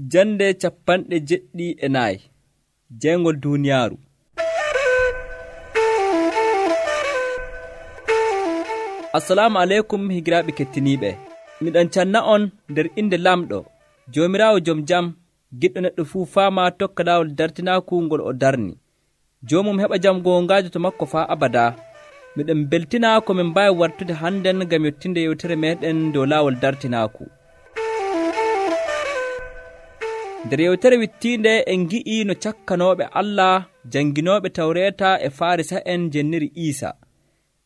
Jande 74 Jayngol duuniyaaru. Assalamu aleykum higiraaɓe kettiniiɓe. Miɗon canna on nder inde lamɗo Joomiraawo jom jam, giɗɗo neɗɗo fuu faama tokka laawol dartinaaku ngol o darni. Joomum heɓa jam goongaajo to makko faa abadaa. Miɗon beltina ko min mbaawi wartude hannden ngam yettinde yewtere meeɗen dow laawol dartinaaku. Nder yewtere wittiinde en ngi'ii no cakkanooɓe Allah janginooɓe Tawreeta e Faarisa'en jenniri Iisa.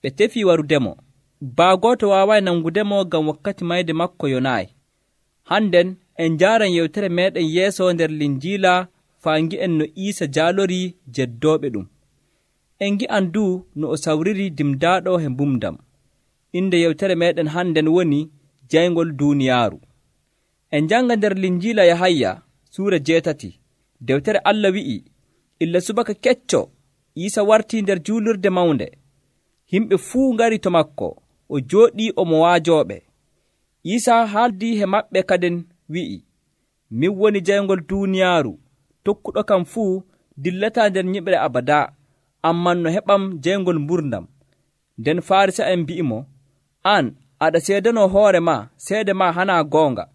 Ɓe tefii warudemo. Baagooto waawaay nangudemo ngam wakkati mayde makko yonaayi. Hannden en njaaran yewtere meeɗen yeeso nder Linjiila faa ngi'en no Iisa jaalorii jeddooɓe ɗum. En ngi'an duu no o sawriri dimdaaɗo he mbumdam. Inde yewtere meeɗen hannden woni Jayngol duuniyaaru. En njanga nder Linjiila Yahaya suura 8. Dewtere Allah wi'i, illa subaka kecco Iisa wartii nder juulurde mawnde. Himɓe fuu ngari to makko, o jooɗii omo waajooɓe. Iisa haaldii he maɓɓe kaden wi'i, min woni jayngol duuniyaaru, tokkuɗo kam fuu dillataa nder nyiɓre abadaa, amman no heɓam jayngol mburdam. Nden Faarisa'en mbi'imo, an aɗa seedanoo hoore maa, seede maa hanaa goonga.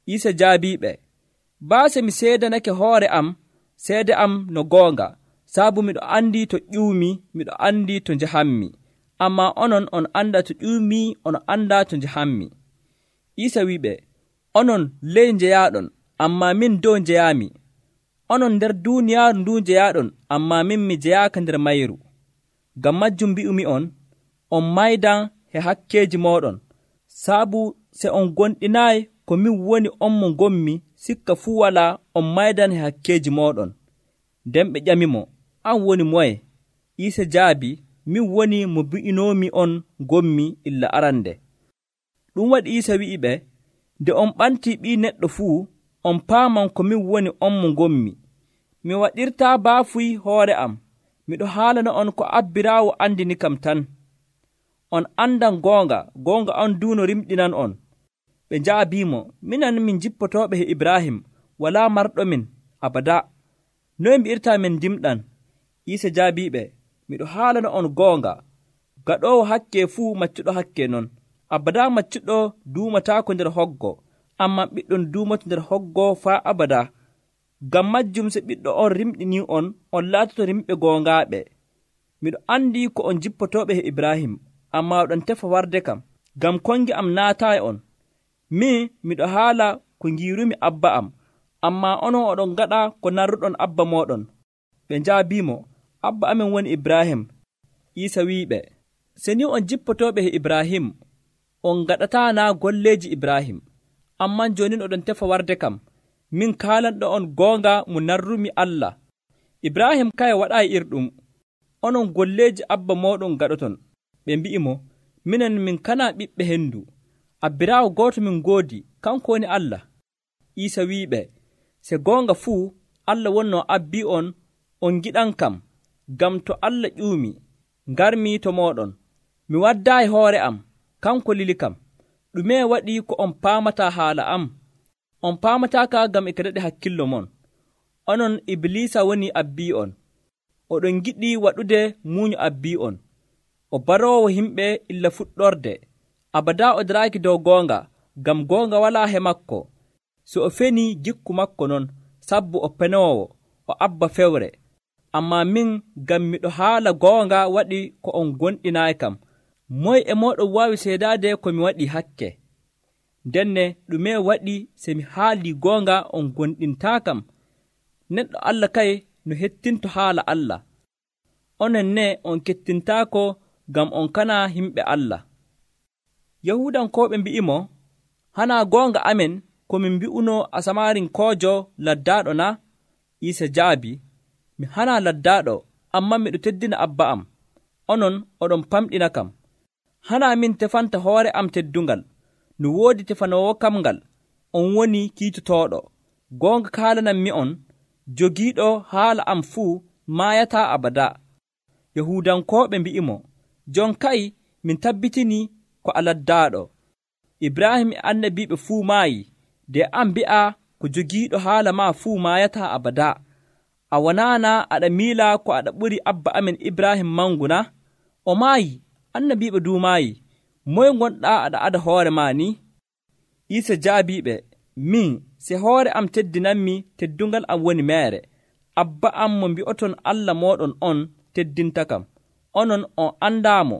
Iisa jaabiiɓe, baase mi seedanake hoore am, seede am no goonga, saabu miɗo anndi to ƴuumi, miɗo anndi to njahammi. Ammaa onon on anndaa to ƴuumi, on anndaa to njahammi. Iisa wi'iɓe, onon ley njeyaaɗon, ammaa min dow njeyaami. Onon nder duuniyaaru ndu njeyaaɗon, ammaa min mi jeyaaka nder mayru. Ngam majjum mbi'umi on maydan he hakkeeji mooɗon, saabu se on gonɗinaayi ko min woni on mo ngommi, sikka fuu walaa on maydan he hakkeeji mooɗon. Nden ɓe ƴamimo, an woni moye? Iisa jaabi, min woni mo bi'inoomi on ngommi illa arande. Ɗum waɗi Iisa wi'iɓe, nde on ɓantii ɓii neɗɗo fuu, on paaman ko min woni on mo ngommi. Mi waɗirtaa baafuy hoore am, miɗo haalana on ko abbiraawo andini kam tan. On andan goonga, goonga on duuno rimɗinan on. Ɓe njaabiimo, minan min jippotooɓe he Ibrahim, walaa marɗomin abadaa. Noye mbi'irtaa min ndimɗan? Iisa jaabiiɓe, miɗo haalana on goonga, gaɗoowo hakke fuu maccuɗo hakke non. Abadaa maccuɗo duumataako nder hoggo, ammaa ɓiɗɗon duumoto nder hoggo faa abadaa. Ngam majjum se ɓiɗɗo on rimɗinii on laatoto rimɓe goongaaɓe. Miɗo anndi ko on jippotooɓe he Ibrahim, ammaa oɗon tefa warde kam, ngam kongi am naataa e on. Min miɗo haala ko ngiirumi abba am, ammaa onon oɗon ngaɗa ko narruɗon abba mooɗon. Ɓe njaabiimo, abba amin woni Ibrahim. Iisa wi'iɓe, se ni on jippotooɓe he Ibrahim, on ngaɗataa naa golleeji Ibrahim, amman joonin oɗon tefa warde kam. Min kaalanɗo on goonga mo narrumi Allah. Ibrahim kaye waɗaayi irɗum, onon golleeji abba mooɗon gaɗoton. Ɓe mbi'imo, minen min kanaa ɓiɓɓe hendu. Abbiraawo gooto min ngoodi, kanko woni Allah. Iisa wi'iɓe, se goonga fuu Allah wonnoo abbii on giɗan kam, ngam to Allah ƴuumi, ngarmi to mooɗon. Mi waddaayi hoore am, kanko lili kam. Ɗume waɗi ko on paamataa haala am? On paamataaka ngam e daɗi hakkillo mon. Onon Ibliisa woni abbii on. Oɗon giɗi waɗude muuñu abbii on. O baroowo himɓe illa fuɗɗorde. Abadaa o daraaki dow goonga, ngam goonga walaa he makko. So o fenii gikku makko non, sabbu o penoowo, o abba fewre. Ammaa min, ngam miɗo haala goonga waɗi ko on gonɗinaayi kam. Moye e mooɗon waawi seedaade ko mi waɗii hakke? Ndenne ɗume waɗi se mi haalii goonga on gonɗintaa kam? Neɗɗo Allah kay no hettinto haala Allah. Onon ne on kettintaako ngam on kanaa himɓe Allah. Yahuudankooɓe mbi'imo, hanaa goonga amen ko min mbi'unoo Asamarinkoojo laddaaɗo na? Iisa jaabi, mi hanaa laddaaɗo, ammaa miɗo teddina abba am. Onon oɗon famɗina kam. Hanaa min tefanta hoore am teddungal, no woodi tefanoowo kam ngal, on woni kiitotooɗo. Goonga kaalanan mi on, jogiiɗo haala am fuu maayataa abadaa. Yahuudankooɓe mbi'imo, jon kay min tabbitinii ko a laddaaɗo. Ibrahim e annabiiɓe fuu maayi, de an mbi'a ko jogiiɗo haala maa fuu maayataa abada. A wonaana aɗa miila ko aɗa ɓuri abba amen Ibrahim mangu na? O maayi, annabiiɓe duu maayi. Moye gonɗaa aɗa ada hoore maa ni? Iisa jaabiiɓe, min se hoore am teddinanmi, teddungal am woni meere. Abba am mo mbi'oton Allah mooɗon on teddintakam. Onon on andaamo,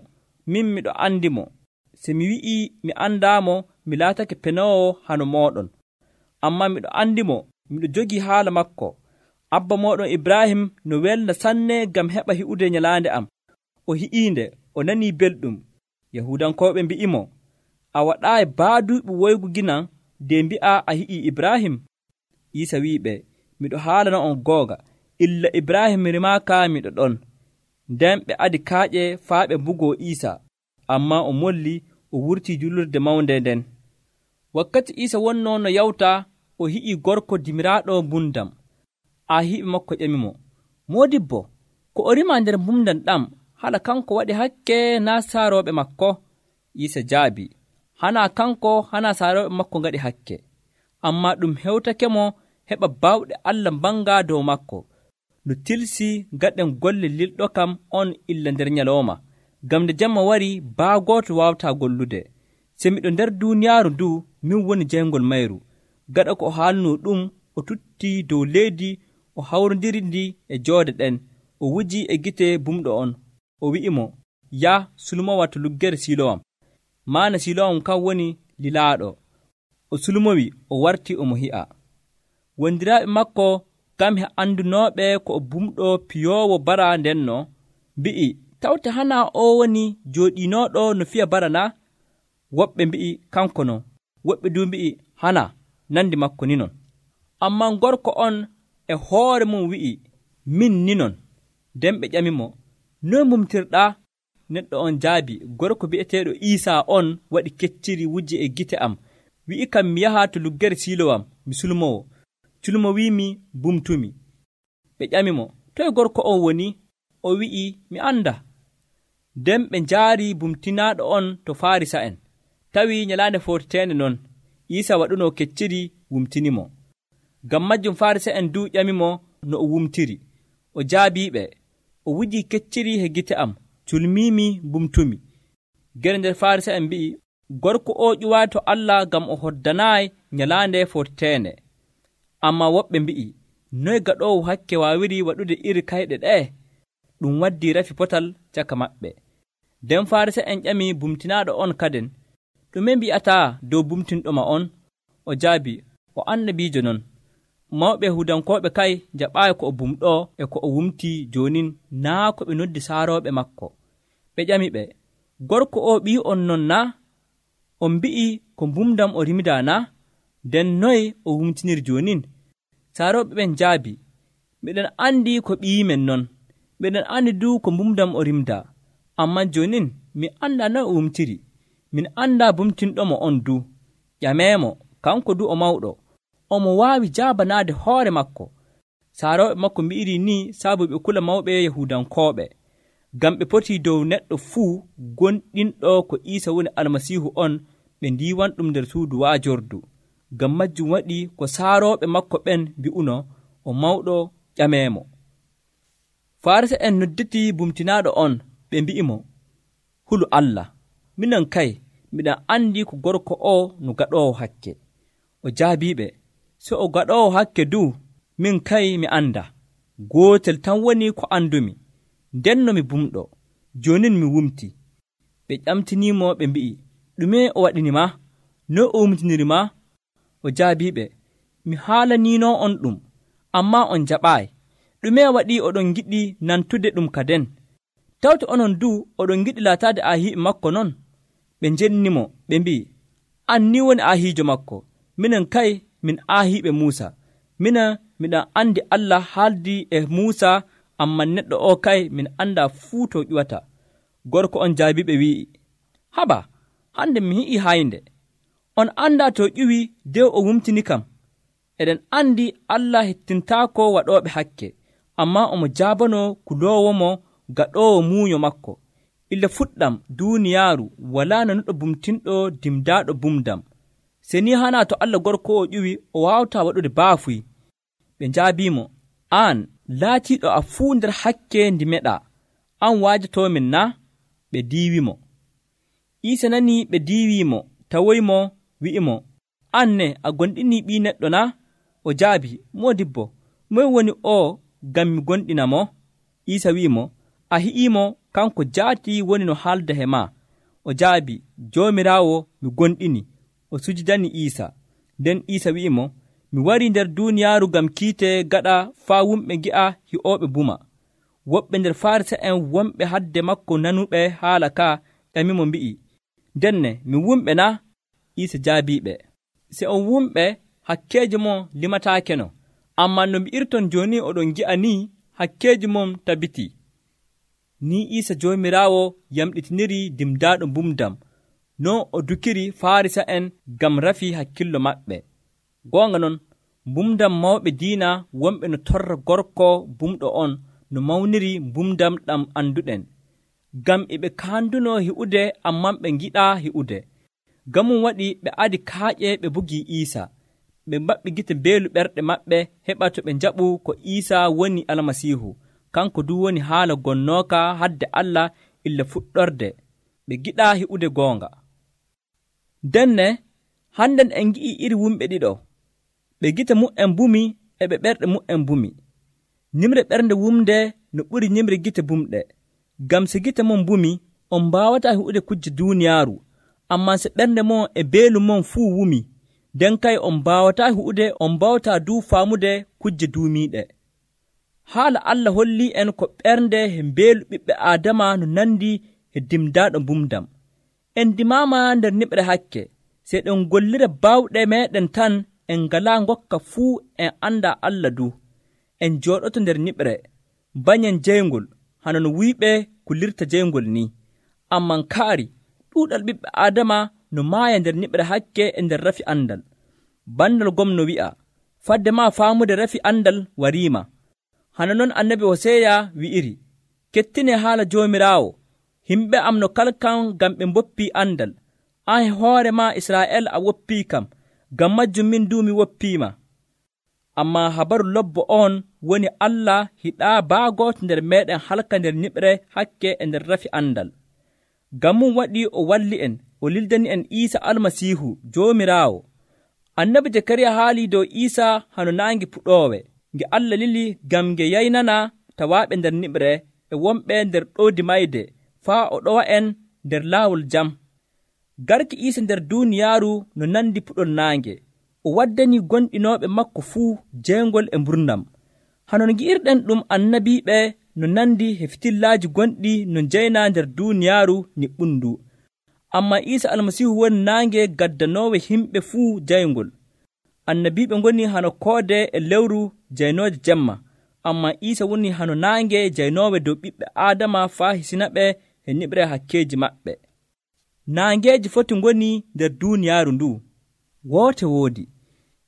min miɗo andimo. Se mi wi'ii mi andaamo, mi laatake penoowo hano mooɗon. Ammaa miɗo andimo, miɗo jogii haala makko. Abba mooɗon Ibrahim no welna sanne ngam heɓa hi'ude nyalaande am. O hi'iinde, o nanii belɗum. Yahuudankooɓe mbi'imo, a waɗaayi baaduuɓe woygu ginan de mbi'a a hi'ii Ibrahim? Iisa wi'iɓe, miɗo haalana on goonga, illa Ibrahim rimaaka miɗo ɗon. Nden ɓe adi kaaƴe faa ɓe mbugoo Iisa, ammaa o molli o wurtii julurde mawnde nden. Wakkati Iisa wonnoo no yawta, o hi'ii gorko dimiraaɗo mbumdam. Ahiiɓe makko ƴamimo, moodibbo, ko o rimaa nder mbumdam ɗam, hala kanko waɗi hakke naa saarooɓe makko? Iisa jaabi, hanaa kanko hanaa saarooɓe makko ngaɗi hakke, ammaa ɗum hewtakemo heɓa baawɗe Allah mbanga dow makko. No tilsi gaɗen golle lilɗo kam on illa nder nyalooma, ngam nde jemma wari baagooto waawataa gollude. Se miɗo nder duuniyaaru ndu, min woni jeyngol mayru. Gaɗa ko o haalnoo ɗum, o tuttii dow leydi, o hawrondiri ndi e joode ɗen, o wuji e gite bumɗo on. O wi'imo, ya sulmowa to luggere Silowam. Maana Silowam kam woni lilaaɗo. O sulmowi, o warti omo hi'a. Wondiraaɓe makko kam he andunooɓe ko o bumɗo piyoowo bara ndenno, mbi'i, tawte hanaa o woni jooɗiinooɗo no fiya bara na? Woɓɓe mbi'i kanko non, woɓɓe du mbi'i hana nandi makko ni non. Ammaa gorko on e hoore mum wi'i, min ni non. Nden ɓe ƴamimo, noy mumtirɗaa? Neɗɗo on jaabi, gorko bi'eteeɗo Iisaa on waɗi kecciri wujji e gite am, wi'i kam mi yaha to luggere Silowam mi sulmowo. Culmo wiimi bumtumi. Ɓe ƴamimo, toye gorko on woni? O wi'i, mi anda. Nden ɓe njaari bumtinaaɗo on to Faarisa'en. Tawi nyalaande forteende non, Iisa waɗunoo kecciri wumtinimo. Ngam majjum Faarisa'en du ƴamimo no o wumtiri. O jaabiiɓe, o wujii kecciri he gite am, culmiimi bumtumi. Gere nder Faarisa'en mbi'i, gorko o ƴuwaayi to Allah ngam o hoddanaayi nyalaande forteende. Ammaa woɓɓe mbi'i, noy gaɗoowo hakke waawiri waɗude iri kayɗe ɗee? Ɗum waddii rafi potal caka maɓɓe. Nden Faarisa'en ƴami bumtinaaɗo on kaden, ɗume mbi'ataa dow bumtinɗoma on? O jaabi, o annabiijo non. Mawɓe Yahuudankooɓe kay jaɓaayi ko o bumɗoo e ko o wumtii joonin naa ko ɓe noddi saarooɓe makko. Ɓe ƴamiɓe, gorko o ɓii on non na? On mbi'i ko mbumdam o rimidaa na? Nden noy o wumtiniri joonin? Saarooɓe ɓen jaabi, miɗen anndi ko ɓiyimen non. Miɗen anndi du ko mbumdam o rimdaa. Ammaa joonin mi anndaa noy o wumtiri. Min anndaa bumtinɗomo on du. Ƴameemo, kanko du o mawɗo. Omo waawi jaabanaade hoore makko. Saarooɓe makko mbi'iri ni saabu ɓe kula mawɓe Yahuudankooɓe, ngam ɓe potii dow neɗɗo fuu gonɗinɗo ko Iisa woni Almasiihu on ɓe ndiiwan ɗum nder suudu waajordu. Ngam majjum waɗi ko saarooɓe makko ɓen mbi'uno o mawɗo ƴameemo. Faarisa'en nodditii bumtinaaɗo on, ɓe mbi'imo, hulu Allah, minon kay miɗen anndi ko gorko o no gaɗoowo hakke. O jaabiiɓe, so o gaɗoowo hakke du, min kay mi annda. Gootel tan woni ko andumi, ndenno mi bumɗo, joonin mi wumti. Ɓe ƴamtiniimo ɓe mbi'i, ɗume o waɗinima? No o wumtinirima? O jaabiiɓe, mi haalaniino on ɗum, ammaa on jaɓaayi. Ɗume waɗi oɗon giɗi nantude ɗum kaden? Tawte onon du oɗon giɗi laataade aahiiɓe makko non? Ɓe njennimo ɓe mbi'i, an ni woni aahiijo makko, minen kay min aahiiɓe Muusa. Miɗen anndi Allah haaldi e Muusa, ammaa neɗɗo o kay min anndaa fuu to ƴuwata. Gorko on jaabiɓe wi'i, haba, hande mi hi'i haynde. On anndaa to ƴuwi dew o wumtini kam. Eɗen anndi Allah hettintaako waɗooɓe hakke, ammaa omo jaabanoo kuloowomo gaɗoowo muuyo makko. Illa fuɗɗam duuniyaaru walaa nanuɗo bumtinɗo dimdaaɗo bumdam. Se ni hana to Allah gorko o ƴuwi o waawta waɗude baafuy. Ɓe njaabiimo, aan laatiiɗo a fuu nder hakke ndi meɗa, an waajotoomin na? Ɓe diiwimo. Iisa nanii ɓe diiwiimo, tawoymo, wi'imo, an ne a gonɗinii ɓii neɗɗo na? O jaabi, moodibbo, moye woni o ngam mi gonɗina mo? Iisa wi'imo, a hi'iimo, kanko jaati woni no haalda he maa. O jaabi, Joomiraawo, mi gonɗini. O sujidani Iisa. Nden Iisa wi'imo, mi warii nder duuniyaaru ngam kiite gaɗa faa wumɓe ngi'a hi'ooɓe buma. Woɓɓe nder Farisa'en wonɓe hadde makko nanuɓe haala ka ƴamimo mbi'i, ndenne mi wumɓe na? Iisa jaabiiɓe, se on wumɓe hakkeeji mon limataakeno, ammaa no mbi'irton jooni oɗon ngi'a ni hakkeeji mon tabitii. Ni Iisa Joomiraawo yamɗitiniri dimdaaɗo mbumdam, non o dukiri Farisa'en ngam rafii hakkillo maɓɓe. Goonga non, mbumdam mawɓe diina wonɓe no torra gorko bumɗo on no mawniri mbumdam ɗam annduɗen, ngam e ɓe kaanduno hi'ude ammaa ɓe ngiɗaa hi'ude. Gamum waɗi ɓe adi kaaƴe ɓe mbugii Iisa. Ɓe maɓɓi gite beelu ɓerɗe maɓɓe heɓa to ɓe njaɓu ko Iisa woni Almasiihu, kanko du woni haala gonnooka hadde Allah illa fuɗɗorde. Ɓe giɗaa hi'ude goonga. Denne, hannden en ngi'ii iri wumɓe ɗiɗo. Ɓe gite mu'en mbumi e ɓe ɓerɗe mu'en mbumi. Nimre ɓernde wumde no ɓuri nimre gite bumɗe. Ngam se gite mon mbumi, on mbaawataa hi'ude kujje duuniyaaru, ammaa se ɓernde mon e beelu mon fuu wumi, nden kay on mbaawataa hi'ude, on mbawtaa duu faamude kujje duumiiɗe. Haala Allah hollii en ko ɓernde he mbeelu ɓiɓɓe Aadama no nandi e dimdaaɗo mbumdam. En dimaama nder niɓre hakke, se ɗen gollira baawɗe meeɗen tan en ngalaa ngokka fuu en anndaa Allah du. En jooɗoto nder niɓre, banyen jeyngol, hana no wuyɓe kullirta jeyngol ni. Amman kaari, ɗuuɗal ɓiɓɓe Aadama no maaya nder niɓre hakke e nder rafi andal. Bandal gomno wi'a, fadde maa faamude rafi andal wariima. Hana non annabi Hoseya wi'iri, kettine haala Joomiraawo, himɓe am no kalkan ngam ɓe mboppii andal. An hoore maa Israa'el a woppii kam, ngam majjum min du mi woppiima. Ammaa habaru lobbo on woni Allah hiɗaa baagooto nder meeɗen halka nder niɓre hakke e nder rafi andal. Ngam mum waɗi o walli en, o lildani en Iisa Almasiihu Joomiraawo. Annabi Jakariya haalii dow Iisa hano naange puɗoowe, nge Allah lili ngam nge yaynana tawaaɓe nder niɓre e wonɓe nder ɗoodi mayde, faa o ɗowa en nder laawol jam. Garki Iisa nder duuniyaaru no nandi puɗol naange, o waddanii gonɗinooɓe makko fuu jeengol e mburnam. Hano no ngi'irɗen ɗum annabiiɓe no nandi e fitillaaji gonɗi no njeyna nder duuniyaaru niɓɓundu. Ammaa Iisa Almasiihu woni naange gaddanoowo himɓe fuu jayngol. Annabiiɓe ngoni hano koode e lewru jaynoode jemma, ammaa Iisa woni hano naange jaynoowe dow ɓiɓɓe Aadama faa hisinaɓe e niɓre hakkeeji maɓɓe. Naangeeji foti ngoni nder duuniyaaru ndu. Woote woodi.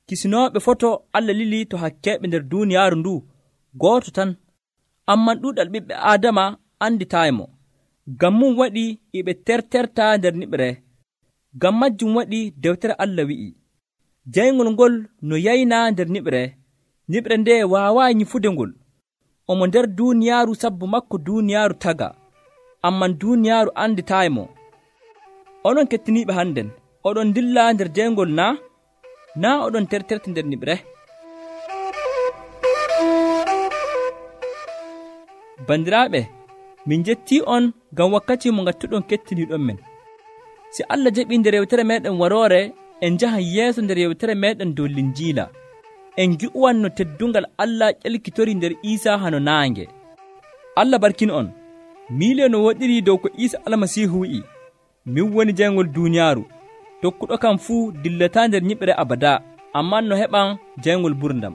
Kisinooɓe foto Allah lili to hakkeeɓe nder duuniyaaru ndu, gooto tan. Amman ɗuuɗal ɓiɓɓe Aadama anditaaymo. Ngam mum waɗi e ɓe terterta nder niɓre. Ngam majjum waɗi dewtere Allah wi'i, jayngol ngol no yayna nder niɓre, niɓre nde waawaayi nyifude ngol. Omo nder duuniyaaru sabbu makko duuniyaaru taga, amman duuniyaaru anditaaymo. Onon kettiniiɓe hannden, oɗon dilla nder jayngol naa oɗon terterta nder niɓre? Bandiraaɓe, min njettii on ngam wakkati mo ngattuɗon kettiniiɗon men. Si Allah jaɓii nder yewtere meeɗen waroore, en njahan yeeso nder yewtere meeɗen dow Linjiila. En ngi'uwan no teddungal Allah ƴelkitori nder Iisa hano naange. Allah barkin on. Miilio no woɗiri dow ko Iisa Almasiihu wi'i, min woni jayngol duuniyaaru. Tokkuɗo kam fuu dillataa nder nyiɓre abadaa, ammaa no heɓan jayngol burdam.